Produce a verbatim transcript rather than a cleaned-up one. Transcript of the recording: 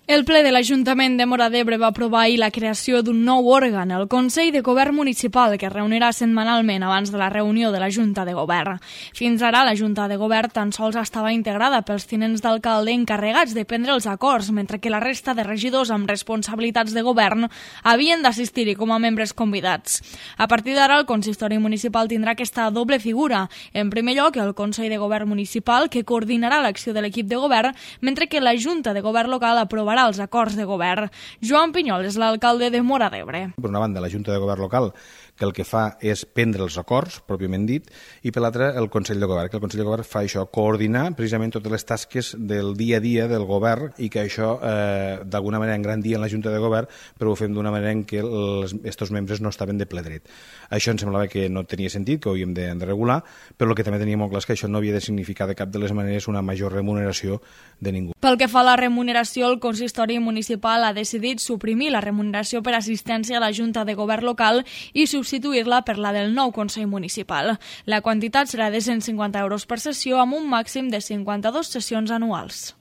El ple de l'Ajuntament de Móra d'Ebre va aprovar ahir la creació d'un nou òrgan, el Consell de Govern Municipal, que es reunirà setmanalment abans de la reunió de la Junta de Govern. Fins ara, la Junta de Govern tan sols estava integrada pels tinents d'alcalde encarregats de prendre els acords, mentre que la resta de regidors amb responsabilitats de govern havien d'assistir-hi com a membres convidats. A partir d'ara, el consistori municipal tindrà aquesta doble figura. En primer lloc, el Consell de Govern Municipal, que coordinarà l'acció de l'equip de govern, mentre que la Junta de Govern local aprovarà els acords de govern. Joan Pinyol és l'alcalde de Móra d'Ebre. Per una banda, la Junta de Govern local, que el que fa és prendre els acords, pròpiament dit, i per l'altra, el Consell de Govern, que el Consell de Govern fa això, coordinar precisament totes les tasques del dia a dia del govern i que això, eh, d'alguna manera, engrandia en la Junta de Govern, però ho fem d'una manera en què aquests membres no estaven de ple dret. Això em semblava que no tenia sentit, que ho havíem de, de regular, però el que també tenia molt clar és que això no havia de significar de cap de les maneres una major remuneració de ningú. Pel que fa a la remuneració, el consistori municipal ha decidit suprimir la remuneració per assistència a la Junta de Govern local i substituir-la per la del nou Consell Municipal. La quantitat serà de cent cinquanta euros per sessió amb un màxim de cinquanta-dues sessions anuals.